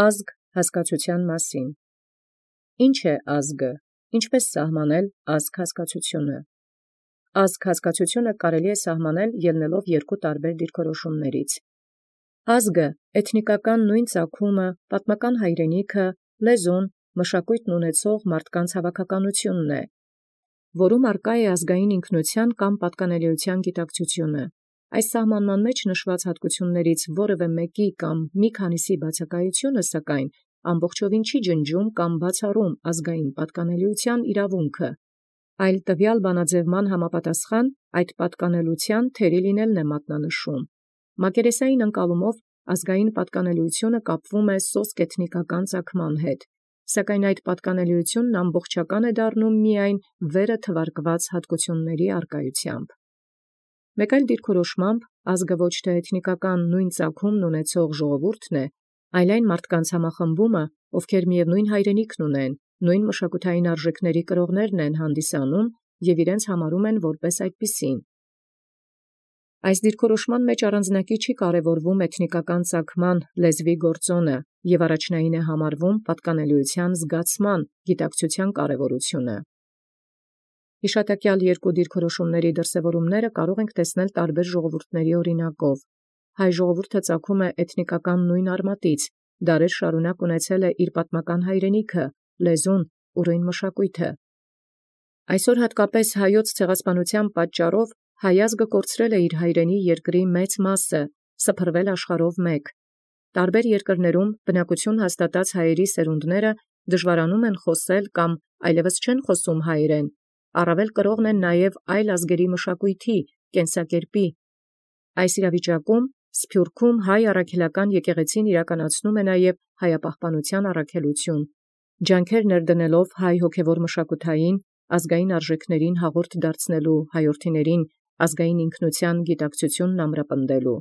Ազգ հասկացութեան մասին։ Ինչ է ազգը, ինչպէս սահմանել ազգ հասկացութիւնը։ Ազգ հասկացութիւնը կարելի է սահմանել ելնելով երկու տարբեր դիրքորոշումներից։ Ազգը էթնիկական նույն ծագումը, պատմական հայրենիքը, լեզուն, մշակոյթն ունեցող մարդկանց հավաքականութիւնն է, որում արկա է ազգային ինքնութեան կամ պատկանելիութեան գիտակցութիւնը։ Այս սահմանման մեջ նշված հատկութիւններից որևէ մեկի կամ մի քանիսի բացակայութիւնը սակայն ամբողջովին չի ջնջում կամ բացառում ազգային պատկանելիութեան իրավունքը, այլ տվյալ բանաձևման համապատասխան այդ պատկանելութեան թերի լինելն է մատնանշում։ Մակերեսային ընկալումով ազգային պատկանելիութիւնը կապվում է սոսկ էթնիկական ծագման հետ, սակայն այդ պատկանելիութիւնն ամբողջական է դառնում միայն վերը թվարկված հատկութիւնների առկայությամբ։ Մեկ այլ դիրքորոշմամբ ազգը ոչ թե էթնիկական նույն ծագումն ունեցող ժողովուրդն է, այլ այն մարդկանց համախմբումը, ովքեր միևնույն հայրենիքն ունեն, նույն մշակութային արժեքների կրողներն են հանդիսանում և իրենց համարում են որպես այդպիսին։ Այս դիրքորոշման մեջ առանձնակի չի կարևորվում էթնիկական ծագման լեզվի գործոնը և առաջնային է համարվում պատկանելիութեան զգացման գիտակցութեան կարևորութիւնը։ Յիշատակեալ երկու դիրքորոշումների դրսևորումները կարող ենք տեսնել տարբեր ժողովուրդների օրինակով։ Հայ ժողովուրդը ծագում է էթնիկական նույն արմատից, դարեր շարունակ ունեցել է իր պատմական հայրենիքը, լեզուն, ուրոյն մշակոյթը։ Այսօր հատկապես հայոց ցեղասպանութեան պատճառով հայ ազգը կորցրել է իր հայրենի երկրի մեծ մասը, սփռվել աշխարհով մեկ։ Տարբեր երկրներում բնակություն հաստատած հայերի սերունդները դժվարանում են խոսել կամ այլևս չեն խոսում հայերեն, առավել կրողն են նաև այլ ազգերի մշակոյթի, կենսակերպի։ Այս իրավիճակում Սփյուռքում հայ առաքելական եկեղեցին իրականացնում է նաև հայապահպանութեան առաքելութիւն, ջանքեր ներդնելով հայ հոգևոր մշակութային, ազգային արժեքներին հաղորդ դարձնելու հայրենիցն ազգային ինքնութեան գիտակցութիւնն ամրապնդելու։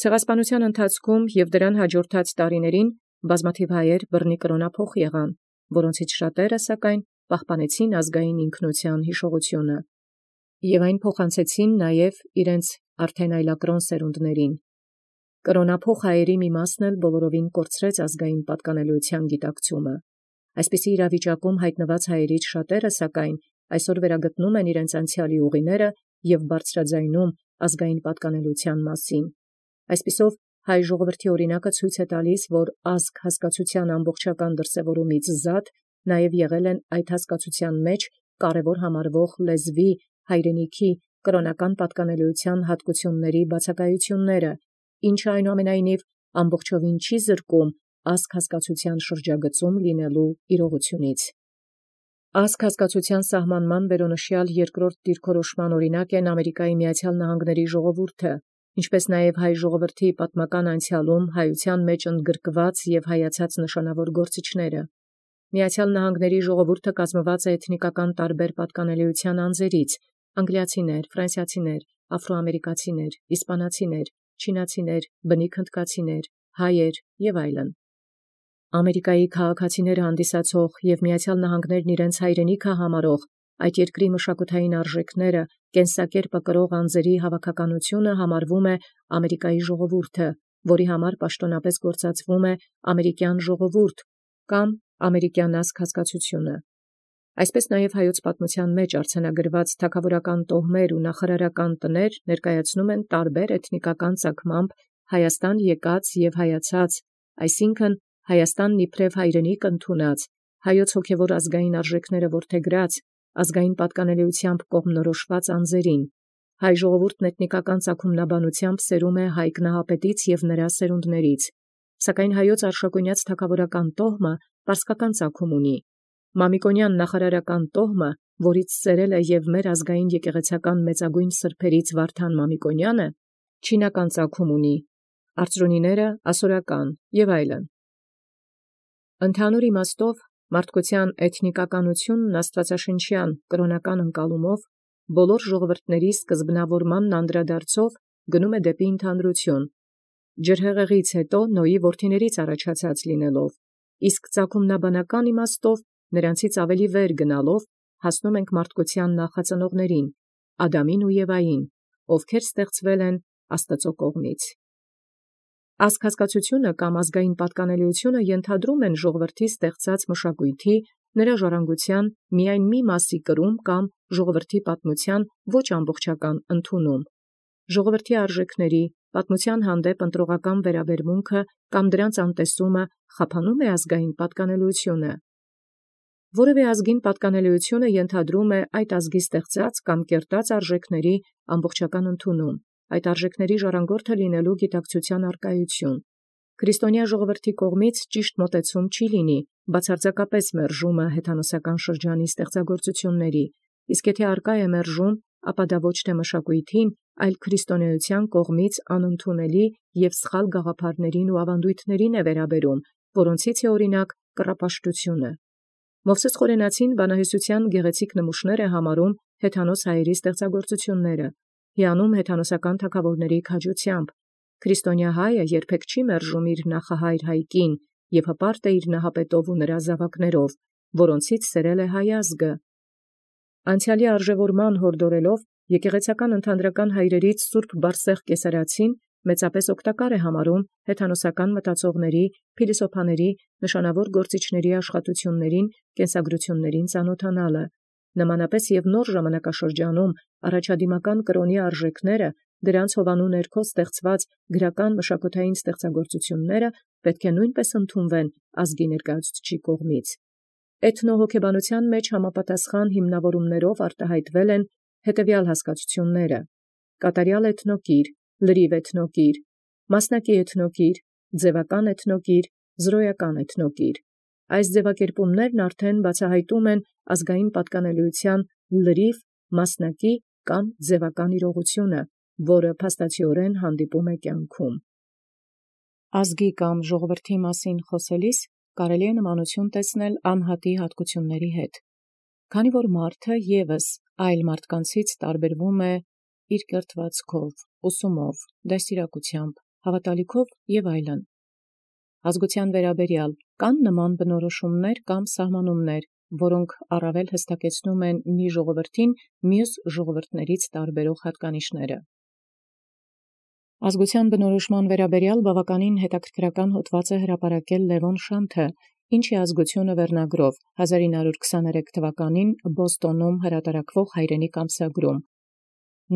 Ցեղասպանութեան ընթացքում և դրան հաջորդած տարիներին բազմաթիվ հայեր բռնի կրոնափոխ եղան, որոնցից շատերը սակայն պահպանեցին ազգային ինքնութեան յիշողութիւնը և այն փոխանցեցին նաև իրենց արդեն այլակրոն սերունդացն։ Կրոնափոխ հայերի մի մասն էլ բոլորովին կորցրեց ազգային պատկանելիութեան գիտակցումը։ Այսպիսի իրավիճակում հայտնված հայերից շատերը սակայն այսօր վերագտնում են իրենց անցեալի ուղիները և բարձրաձայնում ազգային պատկանելիութեան մասին։ Այսպիսով հայ ժողովրդի օրինակը ցույց է տալիս, որ ազգ հասկացութեան ամբողջական դրսևորումից զատ նաև եղել են այդ հասկացութեան մեջ կարևոր համարվող լեզվի, հայրենիքի, կրոնական պատկանելիութեան հատկութիւնների բացակայութիւնները, ինչը այնուամենայնիվ ամբողջովին չի զրկում ազգ հասկացութեան շրջագծում լինելու իրողութիւնից։ Ազգ հասկացութեան սահմանման վերոնշյալ երկրորդ դիրքորոշման օրինակ են Ամերիկայի Միացյալ Նահանգների ժողովուրդը, ինչպէս նաև հայ ժողովրդի պատմական անցեալում հայութեան մեջ ընդգրկված և հայացած նշանավոր գործիչները։ Միացյալ Նահանգների ժողովուրդը կազմված է էթնիկական տարբեր պատկանելիութեան անձերից՝ անգլիացիներ, ֆրանսիացիներ, աֆրոամերիկացիներ, իսպանացիներ, չինացիներ, բնիկ հնդկացիներ, հայեր և այլն։ Ամերիկայի քաղաքացիները հանդիսացող և Միացյալ Նահանգներն իրենց հայրենիքը համարող այդ երկրի մշակութային արժեքները, կենսակերպը կրող անձերի հավաքականութիւնը համարվում է Ամերիկայի ժողովուրդը, որի համար պաշտոնապես գործածվում է ամերիկյան ժողովուրդ կամ ամերիկյան ազգ հասկացութիւնը։ Այսպես նաև հայոց պատմութեան մեջ արձանագրված թագաւորական տոհմեր ու նախարարական տներ ներկայացնում են տարբեր էթնիկական ծագմամբ Հայաստան եկած և հայացած, այսինքն Հայաստանն իբրև հայրենիք ընդունած, հայոց հոգևոր ազգային արժեքները որդեգրած, ազգային պատկանելիութեամբ կողմնորոշված անձերին։ Հայ ժողովուրդն էթնիկական ծագումնաբանությամբ սերում է հայ կնահապետից և նրա սերունդներից, սակայն հայոց արշակունյաց թագաւորական տոհմը պարսկական ծագում ունի։ Մամիկոնյան նախարարական տոհմը, որից սերել է և մեր ազգային եկեղեցական մեծագույն սրբերից Վարդան Մամիկոնյանը, չինական ծագում ունի, արծրունիները ասորական և այլն։ Ընդհանուր իմաստով մարդկության էթնիկականությունն աստվածաշնչյան կրոնական ընկալումով բոլոր ժողովուրդների սկզբնավորմանն անդրադարձով գնում է դեպի ընդհանրություն, ջրհեղեղից հետո Նոյի որդիներից առաջացած լինելով, իսկ ծագումնաբանական իմաստով նրանցից ավելի վեր գնալով հասնում ենք մարդկության նախածնողներին, Ադամին ու Եվային, ովքեր ստեղծվել են Աստուծոյ կողմից։ Ազգակացությունը կամ ազգային պատկանելիությունը ենթադրում են ժողովրդի ստեղծած մշակույթի, նրա ժառանգության միայն մի մասի կրում կամ ժողովրդի պատմության ոչ ամբողջական ընդունում։ Ժողովրդի արժեքների, պատմության հանդեպ ընտրողական վերաբերմունքը կամ դրանց անտեսումը խափանում է ազգային պատկանելիությունը։ Որևէ ազգին պատկանելիությունը ենթադրում է այդ ազգի ստեղծած կամ կերտած արժեքների ամբողջական ընդունում, այդ արժեքների ժառանգորդը լինելու գիտակցության արկայություն։ Քրիստոնյա ժողովրդի կողմից ճիշտ մոտեցում չի լինի, բացարձակապես մերժումը հեթանոսական շրջանի ստեղծագործությունների, իսկ եթե արկա է մերժում, ապա դա ոչ թե մշակույթին, այլ քրիստոնեության կողմից անընդունելի և սխալ գաղափարներին ու ավանդույթներին է վերաբերում, որոնցից է օրինակ կռապաշտությունը։ Մովսէս Խորենացին բանահյուսության գեղեցիկ նմուշներ է համարում հեթանոս հայերի ստեղծագործությունները, հիանում հեթանոսական թագաւորների քաջությամբ։ Քրիստոնյա հայը երբեք չի մերժում իր նախահայր Հայկին և հպարտ է իր նահապետով ու նրա զաւակներով, որոնցից սերել է հայ ազգը։ Անցեալի արժևորման հորդորելով եկեղեցական ընդհանրական հայրերից Սուրբ Բարսեղ Կեսարացին մեծապես օգտակար է համարում հեթանոսական մտածողների, փիլիսոփաների, նշանավոր գործիչների աշխատություններին, կենսագրություններին ծանոթանալը։ Նմանապես և նոր ժամանակաշրջանում առաջադիմական կրոնի արժեքները, դրանց հովանու ներքո ստեղծված գրական մշակութային ստեղծագործությունները պետք է նույնպես ընդունվեն ազգի ներկայացուցչի կողմից։ Էթնոհոգեբանության մեջ համապատասխան հիմնավորումներով արտահայտվել են հետևյալ հասկացությունները. կատարյալ էթնոկիր, լրիվ էթնոկիր, մասնակի էթնոկիր, ձևական էթնոկիր, զրոյական էթնոկիր։ Այս ձևակերպումներն արդեն բացահայտում են ազգային պատկանելիության լրիվ, մասնակի կամ ձևական իրողությունը, որը փաստացիորեն հանդիպում է կյանքում։ Ազգի կամ ժողովրդի մասին խոսելիս կարելի է նմանություն տեսնել անհատի հատկությունների հետ, քանի որ մարդը ևս այլ մարդկանցից տարբերվում է իր կերտվածքով, ուսումով, դաստիարակությամբ, հավատալիքով և այլն։ Ազգության վերաբերյալ կան նման բնորոշումներ կամ սահմանումներ, որոնք առավել հստակեցնում են մի ժողովրդին մյուս ժողովուրդներից տարբերող հատկանիշները։ Ազգության բնորոշման վերաբերյալ բավականին հետաքրքրական հոդված է հրապարակել Լևոն Շանթը, «Ինչ է ազգությունը» վերնագրով 1923 թվականին Բոստոնում հրատարակվող հայրենիք ամսագրում։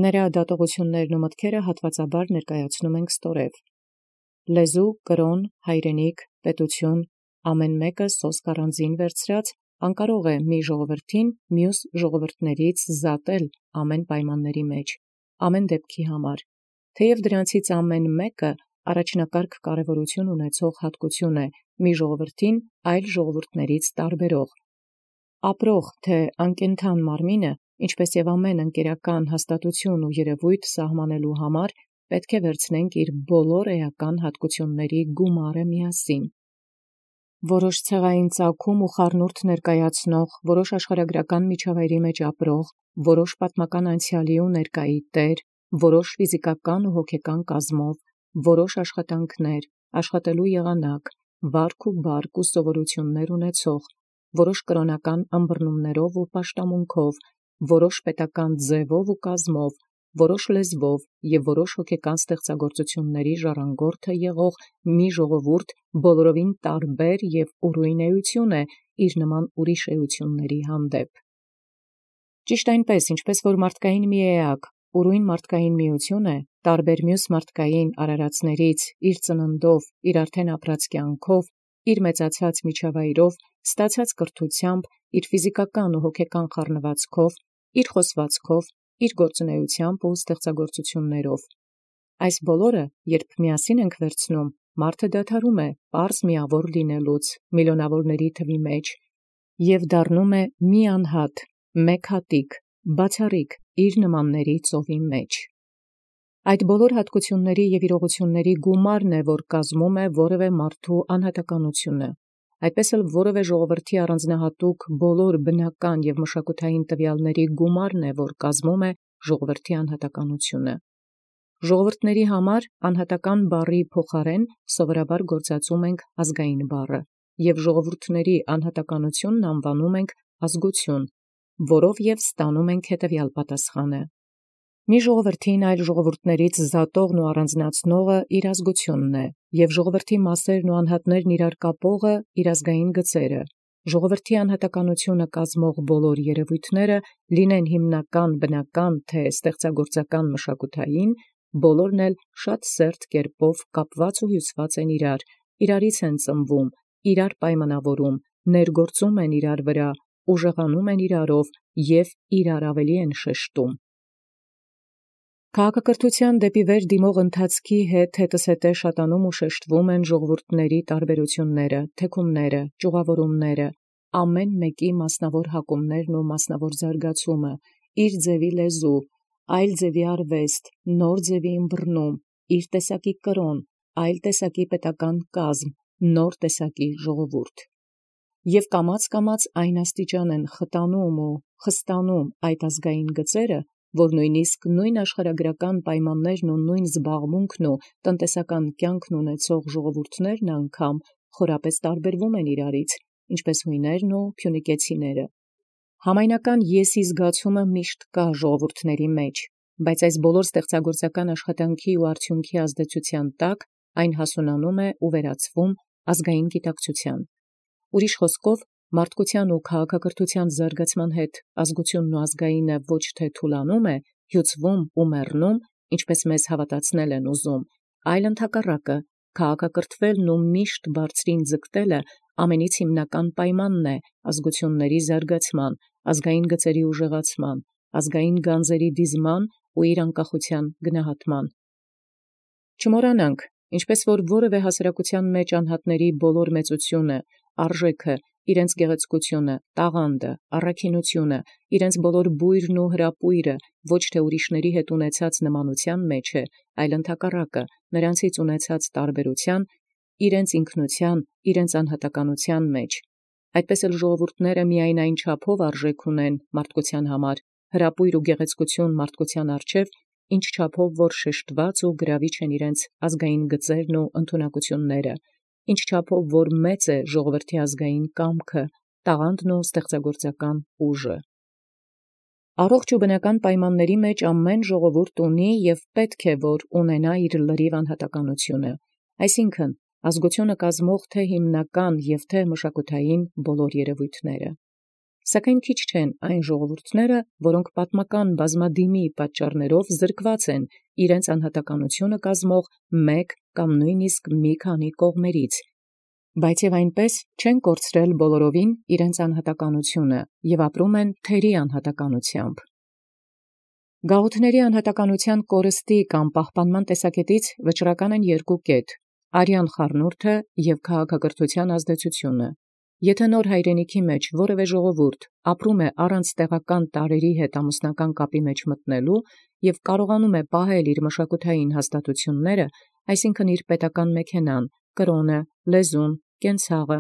Նրա դատողություններն ու մտքերը հատվածաբար ներկայացնում ենք ստորև։ Լեզու, կրոն, հայրենիք, պետություն, ամեն մեկը սոսկ առանձին վերցրած անկարող է մի ժողովրդին մյուս ժողովուրդներից զատել ամեն պայմանների մեջ, ամեն դեպքի համար, թեև դրանցից ամեն մեկը առաջնակարգ կարևորություն ունեցող հատկություն է մի ժողովրդին այլ ժողովուրդներից տարբերող։ Ապրող թե անկենդան մարմինը, ինչպես և ամեն ընկերական հաստատություն ու երևույթ սահմանելու համար, պետք է վերցնենք իր բոլոր էական հատկությունների գումարը միասին։ Որոշ ցեղային ծագում ու խառնուրդ ներկայացնող, որոշ աշխարհագրական միջավայրի մեջ ապրող, որոշ պատմական անցյալի ու ներկայի տեր, որոշ ֆիզիկական ու հոգեկան կազմով, որոշ աշխատանքներ, աշխատելու եղանակ, վարք ու բարք ու սովորություններ ունեցող, որոշ կրոնական ըմբռնումներով ու պաշտամունքով, որոշ պետական ձևով ու կազմով, որոշ լեզվով և որոշ հոգեկան ստեղծագործությունների ժառանգորդը եղող մի ժողովուրդ բոլորովին տարբեր և ուրույն էություն է իր նման ուրիշ էությունների հանդեպ։ Ճիշտ այնպես, ինչպես որ մարդկային մի էակ, ուրույն մարդկային միություն է, տարբեր մյուս մարդկային արարածներից իր ծննդով, իր արդեն ապրած կյանքով, իր մեծացած միջավայրով, ստացած կրթությամբ, իր ֆիզիկական ու հոգեկան խառնվածքով, իր խոսվածքով, իր գործունեությամբ ու ստեղծագործություններով։ Այս բոլորը, երբ միասին ենք վերցնում, մարդը դադարում է պարզ միավոր լինելուց միլիոնավորների թվի մեջ և դառնում է մի անհատ, մեկ հատիկ, բացառիկ իր նմանների ծովի մեջ։ Այդ բոլոր հատկությունների և իրողությունների գումարն է, որ կազմում է որևէ մարդու անհատականությունը, այդպես էլ որևէ ժողովրդի առանձնահատուկ բոլոր բնական և մշակութային տվյալների գումարն է, որ կազմում է ժողովրդի անհատականությունը։ Ժողովուրդների համար անհատական բառի փոխարեն սովորաբար գործածում ենք ազգային բառը, և ժողովուրդների անհատականությունն անվանում ենք ազգություն, որով և ստանում ենք հետևյալ պատասխանը. Մի ժողովրդին այլ ժողովուրդներից զատողն ու առանձնացնողը իր ազգությունն է, և ժողովրդի մասերն ու անհատներն իրար կապողը իր ազգային գծերը։ Ժողովրդի անհատականությունը կազմող բոլոր երևույթները, լինեն հիմնական, բնական, թե ստեղծագործական մշակութային, բոլորն էլ շատ սերտ կերպով կապված ու հյուսված են իրարից են ծնվում, իրար պայմանավորում, ներգործում են իրար վրա, ուժեղանում են իրարով և իրար ավելի են շեշտում։ Քաղաքակրթութեան դեպի վեր դիմող ընթացքի հետզհետե շատանում ու շեշտվում են ժողովուրդների տարբերությունները, թեքումները, ճյուղավորումները, ամեն մեկի մասնավոր հակումներն ու մասնավոր զարգացումը, իր ձևի լեզու, այլ ձևի արվեստ, նոր ձևի ըմբռնում, իր տեսակի կրոն, այլ տեսակի պետական կազմ, նոր տեսակի ժողովուրդ։ Եվ կամաց այն աստիճան են խտանում ու խստանում այդ ազգային գծերը, որ նույնիսկ նույն աշխարհագրական պայմաններն ու նույն զբաղմունքն ու տնտեսական կյանքն ունեցող ժողովուրդներն անգամ խորապես տարբերվում են իրարից, ինչպես հույներն ու փյունիկեցիները։ Համայնական եսի զգացումը միշտ կա ժողովուրդների մեջ, բայց այս բոլոր ստեղծագործական աշխատանքի ու արդյունքի ազդեցության տակ այն հասունանում է ու վերածվում ազգային գիտակցության։ Ուրիշ խոսքով, մարդկության ու քաղաքակրթության զարգացման հետ ազգությունն ու ազգայինը ոչ թե թուլանում է, հյուծվում ու մեռնում, ինչպես մեզ հավատացնել են ուզում, այլ ընդհակառակը, քաղաքակրթվելն ու միշտ բարձրին ձգտելը ամենից հիմնական պայմանն է ազգությունների զարգացման, ազգային գծերի ուժեղացման, ազգային գանձերի դիզման ու իր անկախության գնահատման։ Չմոռանանք, ինչպես որ որևէ հասարակության մեջ անհատների բոլոր մեծությունը, արժեքը, իրենց գեղեցկությունը, տաղանդը, առաքինությունը, իրենց բոլոր բույրն ու հրապույրը ոչ թե ուրիշների հետ ունեցած նմանության մեջ է, այլ ընդհակառակը նրանցից ունեցած տարբերության, իրենց ինքնության, իրենց անհատականության մեջ։ Այդպես էլ ժողովուրդները միայն այն չափով արժեք ունեն մարդկության համար, հրապույր ու գեղեցկություն մարդկության առջև, ինչ չափով որ շեշտված ու գրավիչ են իրենց ազգային գծերն ու ընդունակությունները, ինչ չափով որ մեծ է ժողովրդի ազգային կամքը, տաղանդն ու ստեղծագործական ուժը։ Առողջ ու բնական պայմանների մեջ ամեն ժողովուրդ ունի և պետք է որ ունենա իր լրիվ անհատականությունը, այսինքն ազգությունը կազմող թե հիմնական և թե մշակութային բոլոր երևույթները։ Սակայն քիչ չեն այն ժողովուրդները, որոնք պատմական բազմադիմի պատճառներով զրկված են իրենց անհատականությունը կազմող մեկ կամ նույնիսկ մի քանի կողմերից, բայց և այնպես չեն կորցրել բոլորովին իրենց անհատականությունը և ապրում են թերի անհատականությամբ։ Գաղութների անհատականության կորստի կամ պահպանման տեսակետից վճռական են երկու կետ՝ արյան խառնուրդը և քաղաքակրթության ազդեցությունը։ Եթե նոր հայրենիքի մեջ որևէ ժողովուրդ ապրում է առանց տեղական տարրերի հետ ամուսնական կապի մեջ մտնելու և կարողանում է պահել իր մշակութային հաստատությունները, այսինքն իր պետական մեքենան, կրոնը, լեզուն, կենցաղը,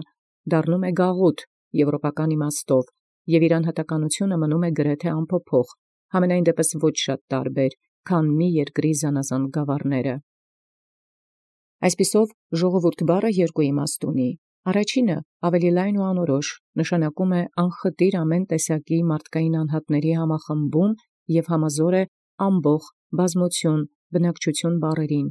դառնում է գաղութ եվրոպական իմաստով, և իր անհատականությունը մնում է գրեթե անփոփոխ, համենայն դեպս ոչ շատ տարբեր, քան մի երկրի զանազան գավառները։ Այսպիսով, ժողովուրդ բառը երկու իմաստ ունի։ Առաջինը ավելի լայն ու անորոշ, նշանակում է անխտիր ամեն տեսակի մարդկային անհատների համախմբում և համազոր է ամբոխ, բազմություն, բնակչություն բառերին։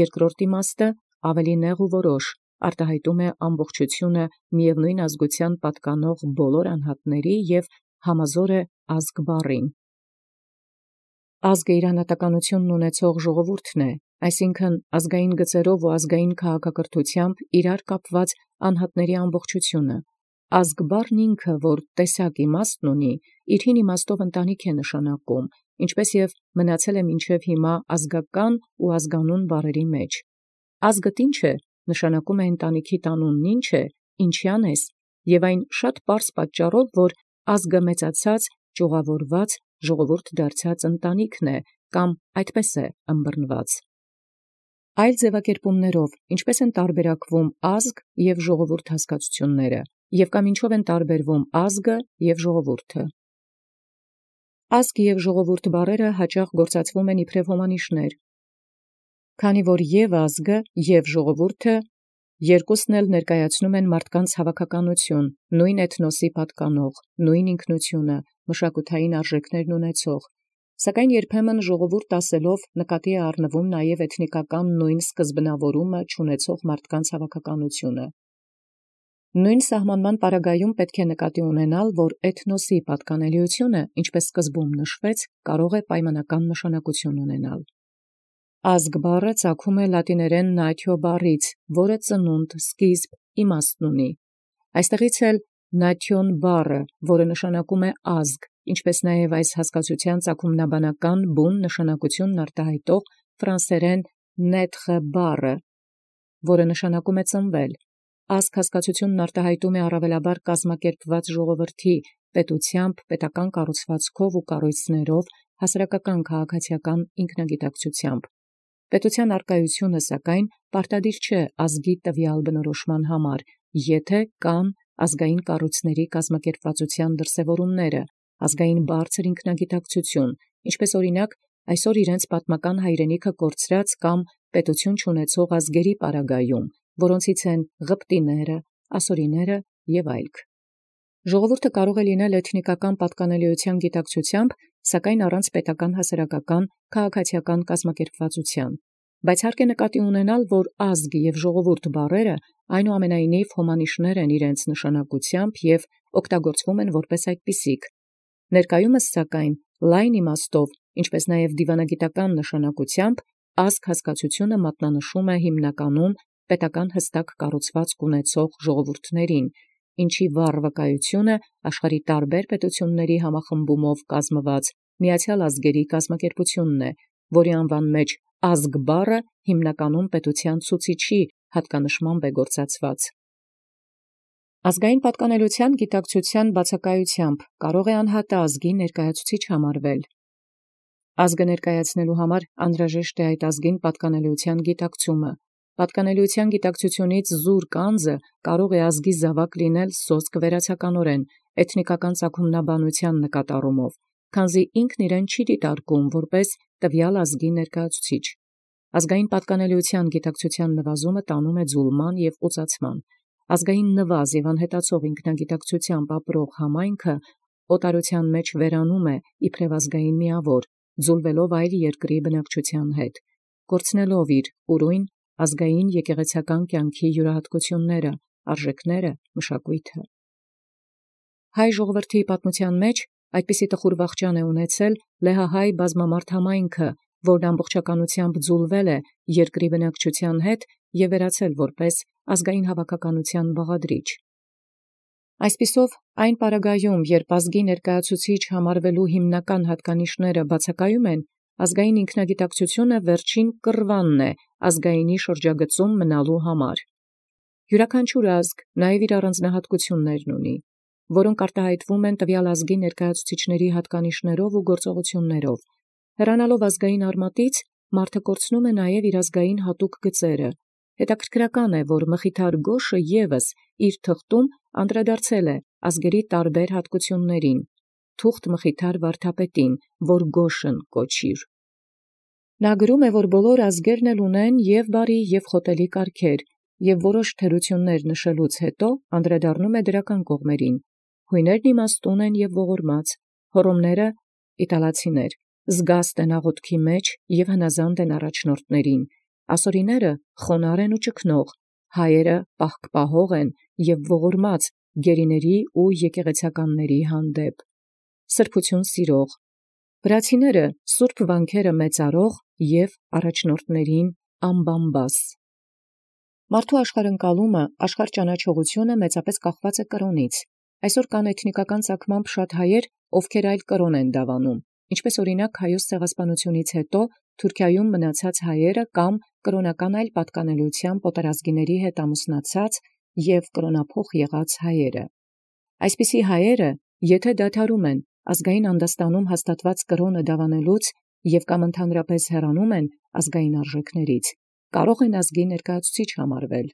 Երկրորդ իմաստը ավելի նեղ ու որոշ, արտահայտում է ամբողջությունը միևնույն ազգության պատկանող բոլոր անհատների և համազոր է ազգ բառին։ Ազգը իր անհատականությունն ունեցող ժողովուրդն է, այսինքն ազգային գծերով ու ազգային քաղաքակրթությամբ իրար կապված անհատների ամբողջությունը։ Ազգ բառն ինքը, որ տեսակ իմաստն ունի, իր հին իմաստով ընտանիք է նշանակում, ինչպես և մնացել է մինչև հիմա ազգական ու ազգանուն բառերի մեջ։ Ազգդ ինչ է, նշանակում է ընտանիքի տանունն ինչ է, ինչյան ես, և այն շատ պարզ պատճառով, որ ազգը մեծացած, ճյուղավորված, ժողովուրդ դարձած ընտանիքն է, կամ այդպես է ըմբռնված։ Այլ ձևակերպումներով, ինչպես են տարբերակվում ազգ և ժողովուրդ հասկացությունները, և կամ ինչով են տարբերվում ազգը և ժողովուրդը։ Ազգ և ժողովուրդ բառերը հաճախ գործածվում են իբրև հոմանիշներ, քանի որ և ազգը և ժողովուրդը երկուսն էլ ներկայացնում են մարդկանց հավաքականություն, նույն էթնոսի պատկանող, նույն ինքնությունը, մշակութային արժեքներն ունեցող, Սակայն երբեմն ժողովուրդ ասելով նկատի է առնվում նաև էթնիկական նույն սկզբնավորումը չունեցող մարդկանց հավաքականությունը։ Նույն սահմանման պարագայում պետք է նկատի ունենալ, որ էթնոսի պատկանելիությունը, ինչպես սկզբում նշվեց, կարող է պայմանական նշանակություն ունենալ։ Ազգ բառը ծագում է լատիներեն natio բառից, որը ծնունդ, սկիզբ, իմաստ ունի։ Այստեղից էլ nation բառը, որը նշանակում է ազգ, ինչպես նաև այս հասկացության ծագումնաբանական բուն նշանակությունն արտահայտող ֆրանսերեն naître բառը, որը նշանակում է ծնվել։ Ազգ հասկացությունն արտահայտում է առավելաբար կազմակերպված ժողովրդի պետությամբ, պետական կառուցվածքով ու կառույցներով, հասարակական քաղաքացիական ինքնագիտակցությամբ։ Պետության արկայությունը, սակայն, պարտադիր չէ ազգի տվյալ բնորոշման համար, եթե կան ազգային կառույցների կազմակերպվածության դրսևորումները, ազգային բարձր ինքնագիտակցություն, ինչպես օրինակ այսօր իրենց պատմական հայրենիքը կորցրած կամ պետություն չունեցող ազգերի պարագայում, որոնցից են ղպտիները, ասորիները և այլք։ Ժողովուրդը կարող է լինել էթնիկական պատկանելիության գիտակցությամբ, սակայն առանց պետական հասարակական քաղաքացիական կազմակերպվածության։ Բայց հարկ է նկատի ունենալ, որ ազգ և ժողովուրդ բառերը այնուամենայնիվ հոմանիշներ են իրենց նշանակությամբ և օգտագործվում են որպես այդպիսիք։ Ներկայումս, սակայն, լայն իմաստով, ինչպես նաև դիվանագիտական նշանակությամբ, ազգ հասկացությունը մատնանշում է հիմնականում պետական հստակ կառուցվածք ունեցող ժողովուրդներին, ինչի վառ վկայությունը աշխարհի տարբեր պետությունների համախմբումով կազմված միացյալ ազգերի կազմակերպությունն է, որի անվան մեջ ազգ բառը հիմնականում պետության ցուցիչի հատկանշմամբ է գործածված։ Ազգային պատկանելության գիտակցության բացակայությամբ կարող է անհատը ազգի ներկայացուցիչ համարվել։ Ազգը ներկայացնելու համար անհրաժեշտ է այդ ազգին պատկանելիության գիտակցումը։ Պատկանելիության գիտակցությունից զուրկ անձը կարող է ազգի զավակ լինել սոսկ վերացականորեն, էթնիկական ծագումնաբանության նկատառումով, քանզի ինքն իրեն չի դիտարկում որպես տվյալ ազգի ներկայացուցիչ։ Ազգային պատկանելիության գիտակցության նվազումը տանում է ձուլման և ուծացման։ Ազգային նվազ և անհետացող ինքնագիտակցությամբ ապրող համայնքը օտարության մեջ վերանում է իբրև ազգային միավոր, ձուլվելով այլ երկրի բնակչության հետ, կորցնելով իր ուրույն ազգային եկեղեցական կյանքի յուրահատկությունները, արժեքները, մշակույթը։ Հայ ժողովրդի պատմության մեջ այդպիսի տխուր վախճան է ունեցել լեհահայ բազմամարդ համայնքը, որն ամբողջականությամբ ձուլվել է երկրի բնակչության հետ և վերացել որպես ազգային հավաքականության բաղադրիչ։ Այսպիսով, այն պարագայում, երբ ազգի ներկայացուցիչ համարվելու հիմնական հատկանիշները բացակայում են, ազգային ինքնագիտակցությունը վերջին կռվանն է ազգայինի շրջագծում մնալու համար։ Յուրաքանչյուր ազգ նաև իր առանձնահատկություններն ունի, որոնք արտահայտվում են տվյալ ազգի ներկայացուցիչների հատկանիշներով ու գործողություններով։ Հեռանալով ազգային արմատից, մարդը կորցնում է նաև իր ազգային հատուկ գծերը։ Հետաքրքրական է, որ Մխիթար Գոշը ևս իր թղթում անդրադարձել է ազգերի տարբեր հատկություններին, թուղթ Մխիթար վարդապետին, որ Գոշն կոչիր։ Նա գրում է, որ բոլոր ազգերն էլ ունեն և բարի և խոտելի կարգեր, և որոշ թերություններ նշելուց հետո անդրադառնում է դրական կողմերին։ Հույներն իմաստուն են և ողորմած, հոռոմները իտալացիներ, զգաստ են աղոթքի մեջ և հնազանդ են առաջնորդներին, ասորիները խոնարհ են ու ճգնող, հայերը պահկպահող են և ողորմած գերիների ու եկեղեցականների հանդեպ, սրբություն սիրող, վրացիները սուրբ վանքերը մեծարող և առաջնորդներին ամբամբաս։ Մարդու աշխարհընկալումը, աշխարհճանաչողությունը մեծապես կախված է կրոնից։ Այսօր կան էթնիկական ծագմամբ շատ հայեր, ովքեր այլ կրոն են դավանում, ինչպես օրինակ Հայոց ցեղասպանությունից հետո Թուրքիայում մնացած հայերը կամ կրոնական այլ պատկանելիությամբ օտարազգիների հետ ամուսնացած և կրոնափոխ եղած հայերը։ Այսպիսի հայերը, եթե դադարում են ազգային անդաստանում հաստատված կրոնը դավանելուց և կամ ընդհանրապես հեռանում են ազգային արժեքներից, կարող են ազգի ներկայացուցիչ համարվել։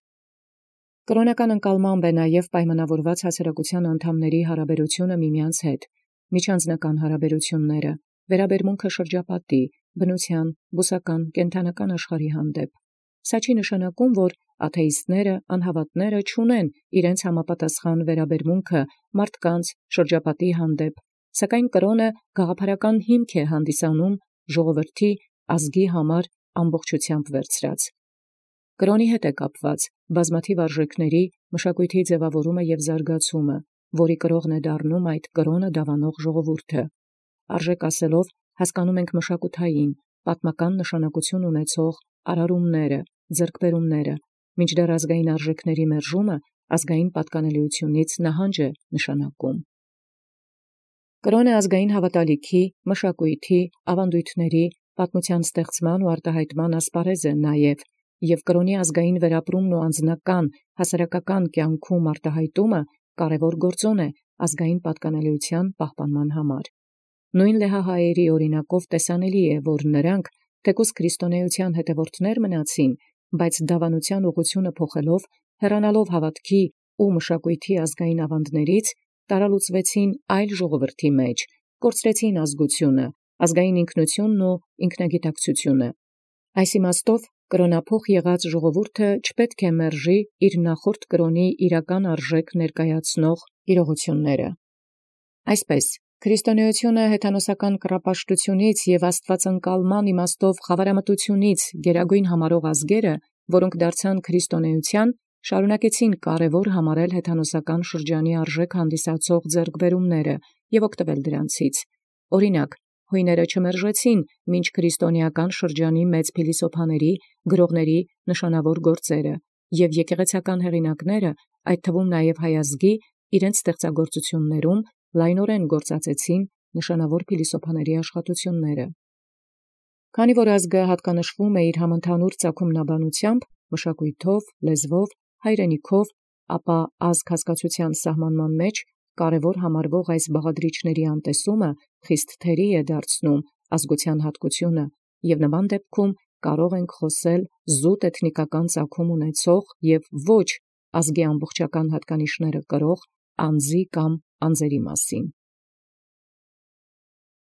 Կրոնական ընկալմամբ է նաև պայմանավորված հասարակության անդամների հարաբերությունը միմյանց հետ, միջանձնական հարաբերությունները, վերաբերմունքը շրջապատի, բնության, բուսական, կենդանական աշխարհի հանդեպ։ Սա չի նշանակում, որ աթեիստները, անհավատները չունեն իրենց համապատասխան վերաբերմունքը մարդկանց, շրջապատի հանդեպ, Սակայն կրոնը գաղափարական հիմք է հանդիսանում ժողովրդի ազգի համար ամբողջությամբ վերցրած։ Կրոնի հետ է կապված բազմաթիվ արժեքների մշակույթի ձևավորումը եւ զարգացումը, որի կրողն է դառնում այդ կրոնը դավանող ժողովուրդը։ Արժեք ասելով հասկանում ենք մշակութային, պատմական նշանակություն ունեցող արարումները, ձեռքբերումները, մինչդեռ ազգային արժեքների մերժումը ազգային պատկանելիությունից նահանջ է նշանակում։ Կրոնը ազգային հավատալիքի, մշակույթի, ավանդույթների, պատմության ստեղծման ու արտահայտման ասպարեզ է նաև, և կրոնի ազգային վերապրումն ու անձնական, հասարակական կյանքում արտահայտումը կարևոր գործոն է ազգային պատկանելիության պահպանման համար։ Նույն լեհահայերի օրինակով տեսանելի է, որ նրանք, թեկուզ քրիստոնեության հետևորդներ մնացին, բայց դավանության ուղղությունը փոխելով, հեռանալով հավատքի ու մշակույթի ազգային ավանդներից, տարալուծվեցին այլ ժողովրդի մեջ, կորցրեցին ազգությունը, ազգային ինքնությունն ու ինքնագիտակցությունը։ Այս իմաստով կրոնափոխ եղած ժողովուրդը չպետք է մերժի իր նախորդ կրոնի իրական արժեք ներկայացնող իրողությունները։ Այսպես, քրիստոնեությունը հեթանոսական կռապաշտությունից և աստվածընկալման իմաստով խավարամտությունից գերագույն համարող ազգերը, որոնք դարձան քրիստոնեության, շարունակեցին կարևոր համարել հեթանոսական շրջանի արժեք հանդիսացող ձեռքբերումները և օգտվել դրանցից։ Օրինակ, հույները չմերժեցին մինչ քրիստոնեական շրջանի մեծ փիլիսոփաների, գրողների նշանավոր գործերը, և եկեղեցական հեղինակները, այդ թվում նաև հայ ազգի, իրենց ստեղծագործություններում լայնորեն գործածեցին նշանավոր փիլիսոփաների աշխատությունները։ Քանի որ ազգը հատկանշվում է իր համընդհանուր ծագումնաբանությամբ, մշակույթով, լեզվով, հայրենիքով, ապա ազգ հասկացության սահմանման մեջ կարևոր համարվող այս բաղադրիչների անտեսումը խիստ թերի է դարձնում ազգության հատկությունը, և նման դեպքում կարող ենք խոսել զուտ էթնիկական ծագում ունեցող և ոչ ազգի ամբողջական հատկանիշները կրող անձի կամ անձերի մասին։